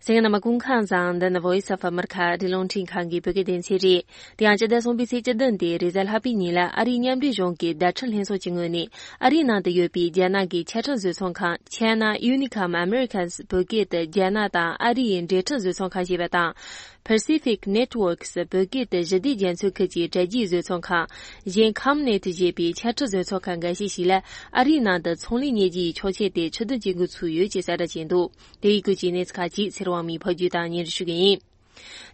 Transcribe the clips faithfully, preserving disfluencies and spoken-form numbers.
གསན་མཁན་རྣམ་པ་སྐུ་ཁམས་བཟང་། འདི་ནི་Voice of America ཨ་རིའི་རླུང་འཕྲིན་ཁང་གི་བོད་སྐད་སྡེ་ཚན་རེད། དེ་ཡང་སྤྱི་ཟླ་གསུམ་པའི་ཚེས་བཅུ་བདུན་སྟེ་རེས་གཟའ་ལྷག་པའི་ཉིན་ལ་ཨ་རིའི་མཉམ་འབྲེལ་གཞུང་གི་བརྡ་འཕྲིན་ལྷན་ཚོགས་ཀྱི་ངོས་ནས་ཨ་རིའི་ནང་དུ་ཡོད་པའི་རྒྱ་ནག་གི་ཆ་འཕྲིན་བཟོ་ཚོང་ཁང་China Unicom Americas བོད་སྐད་དུ་རྒྱ་ནག་དང་ཨ་རི་ཡི་འབྲེལ་འཕྲིན་བཟོ་ཚོང་ཁང་ཞེས་པ་དང་། Pacific Networks བོད་སྐད་དུ་ཞི་བདེ་རྒྱ་མཚོའི་ཁུལ་གྱི་དྲ་རྒྱའི་བཟོ་ཚོང་ཁང་གཞན་Comnet ཞེས་པའི་ཆ་འཕྲིན་བཟོ་ཚོང་ཁང་འགའ་ཤས་ཤིག་ལ་ཨ་རིའི་ནང་དུ་ཚོང་ལས་གཉེར་རྒྱུའི་ཆོག་མཆན་དེ་ཕྱིར་འདོན་བྱེད་འགོ་ཚུགས་ཡོད་ཅེས་གསལ་བསྒྲགས་བྱས་འདུག་དེ་ཡི་སྐོར་གྱི་གནས་ཚུལ་ཁག་ཅིག་ཚེ་རིང་དབང་མོས་ཕབ་སྒྱུར་དང་སྙན་སྒྲོན་ཞུ་གི་ཡིན།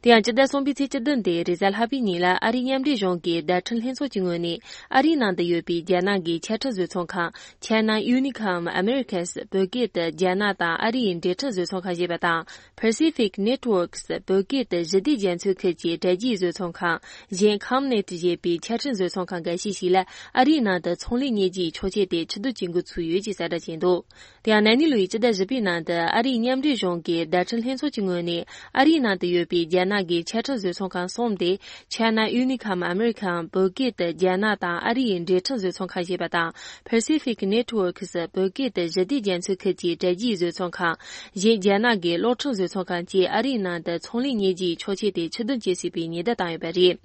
དེ་ཡང་སྤྱི་ཟླ་གསུམ་པའི་ཚེས་བཅུ་བདུན་སྟེ་རེས་གཟའ་ལྷག་པའི་ཉིན་ལ་ཨ་རིའི་མཉམ་འབྲེལ་གཞུང་གི་བརྡ་འཕྲིན་ལྷན་ཚོགས་ཀྱི་ངོས་ནས་ཨ་རིའི་ནང་དུ་ཡོད་པའི་རྒྱ་ནག་གི་ཆ་འཕྲིན་བཟོ་ཚོང་ཁང་China Unicom Americas བོད་སྐད་དུ་རྒྱ་ནག་དང་ཨ་རི་ཡི་འབྲེལ་འཕྲིན་བཟོ་ཚོང་ཁང་ཞེས་པ་དང་། Pacific Networks བོད་སྐད་དུ་ཞི་བདེ་རྒྱ་མཚོའི་ཁུལ་གྱི་དྲ་རྒྱའི་བཟོ་ཚོང་ཁང་གཞན་Comnet ཞེས་པའི་ཆ་འཕྲིན་བཟོ་ཚོང་ཁང་འགའ་ཤས་ཤིག་ལ་ཨ་རིའི་ནང་དུ་ཚོང་ལས་གཉེར་རྒྱུའི་ཆོག་མཆན་དེ་ཕྱིར་བསྡུ་བྱེད་འགོ་ཚུགས་ཡོད་ཅེས་གསལ་བསྒྲགས་བྱས་འདུག་དེ་ཡང་ན་ནིང་ལོའི་སྤྱི་ཟླ་བཞི་པའི་ནང་དུ་ཨ་རིའི་མཉམ་འབྲེལ་གཞུང་གི་བརྡ་འཕྲིན་ལྷན་ཚོགས་ཀྱི་ངོས་ནས་ཨ་རིའི་ནང་དུ་ཡོད་པའི་རྒྱ་ནག་གི་ཆ་འཕྲིན་བཟོ་ཚོང་ཁང་གསུམ་སྟེ། China Unicom Americas བོད་སྐད་དུ་རྒྱ་ནག་དང་ཨ་རི་ཡི་འབྲེལ་འཕྲིན་བཟོ་ཚོང་ཁང་ཞེས་པ་དང་། Pacific Networks བོད་སྐད་དུ་ཞི་བདེ་རྒྱ་མཚོའི་ཁུལ་གྱི་དྲ་རྒྱའི་བཟོ་ཚོང་ཁང་། གཞན་རྒྱ་ནག་གི་གློག་འཕྲིན་བཟོ་ཚོང་ཁང་བཅས་ཨ་རིའི་ནང་དུ་ཚོང་ལས་གཉེར་རྒྱུའི་ཆོག་མཆན་དེ་ཕྱིར་འདོན་བྱེད་སྲིད་པའི་ཉེན་བརྡ་བཏང་ཡོད་པ་རེད།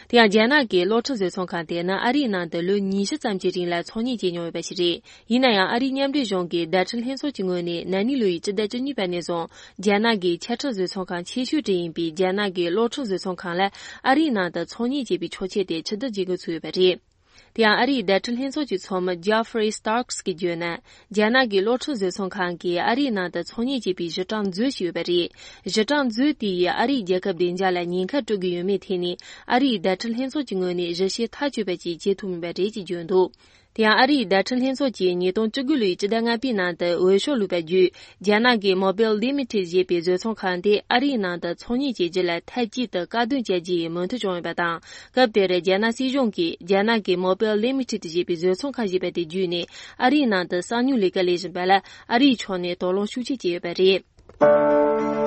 དེ་ཡང་རྒྱ་ནག་གི་གློག་འཕྲིན་བཟོ་ཚོང་ཁང་དེ་ནི་ཨ་རིའི་ནང་དུ་ལོ་ཉི་ཤུ་ཙམ་གྱི་རིང་ལ་ཚོང་གཉེར་བྱས་མྱོང་ཡོད་པ་ཞིག་རེད། ཡིན་ན་ཡང་ཨ་རིའི་མཉམ་འབྲེལ་གཞུང་གི་བརྡ་འཕྲིན་ལྷན་ཚོགས་ཀྱི་ངོས་ནས་ན་ནིང་ལོའི་སྤྱི་ཟླ་བཅུ་གཉིས་པ་ནས་བཟུང་རྒྱ་ནག་གི་ཆ་འཕྲིན་བཟོ་ཚོང་ཁང་ཆེ་ཤོས་དེ་ཡིན་པའི་རྒྱ་ནག་གི་གློག་འཕྲིན་བཟོ་ཚོང་ཁང་ལ་ཨ་རིའི་ནང་དུ་ཚོང་གཉེར་བྱེད་པའི་ཆོག་མཆན་དེ་ཕྱིར་འདོན་བྱེད་འགོ་ཚུགས་ཡོད་པ་རེད། དེ་ཡང་ཨ་རིའི་བརྡ་འཕྲིན་ལྷན་ཚོགས་ཀྱི་ཚོགས་མི་Jeffrey Starks གིས་བརྗོད་ན། རྒྱ་ནག་གི་གློག་འཕྲིན་བཟོ་ཚོང་ཁང་གིས་ཨ་རིའི་ནང་དུ་ཚོང་གཉེར་བྱེད་པའི་གཞི་གྲངས་མཛོད་ཞིག་ཡོད་པ་རེད། གཞི་གྲངས་མཛོད་དེ་ཡིས་ཨ་རིའི་རྒྱལ་ཁབ་བདེ་འཇགས་ལ་ཉེན་ཁ་སྤྲོད་ཀྱི་ཡོད་མེད་ཐད་ནས་ཨ་རིའི་བརྡ་འཕྲིན་ལྷན་ཚོགས་ཀྱི་ངོས་ནས་གཞི་བྱེ་ཐག་ཆོད་པ་ཅིག་བྱེད་ཐུབ་མེད་པ་རེད་ཅེས་བརྗོད་འདུག་དེ་ཡང་ཨ་རིའི་བརྡ་འཕྲིན་ལྷན་ཚོགས་ཀྱིས་ཉིས་སྟོང་བཅུ་དགུ་ལོའི་སྤྱི་ཟླ་ལྔ་པའི་ནང་དུ་འོས་ཤོག་བླུགས་པ་བརྒྱུད། རྒྱ་ནག་གི་Mobile Limited ཞེས་པའི་བཟོ་ཚོང་ཁང་དེ་ཨ་རིའི་ནང་དུ་ཚོང་གཉེར་བྱེད་རྒྱུ་ལ་མཐའ་གཅིག་ཏུ་བཀག་སྡོམ་བྱ་རྒྱུ་ཡི་མོས་མཐུན་བྱུང་ཡོད་པ་དང་། སྐབས་དེར་རྒྱ་ནག་སྲིད་གཞུང་གིས་རྒྱ་ནག་གི་Mobile Limited ཞེས་པའི་བཟོ་ཚོང་ཁང་ཞེས་པ་དེ་བརྒྱུད་ནས་ཨ་རིའི་ནང་དུ་གསང་ཉུལ་ལས་ཀ་ལས་བཞིན་པ་ལ་ཨ་རིའི་ཕྱོགས་ནས་དོགས་སློང་ཤུགས་ཆེ་བྱས་ཡོད་པ་རེད།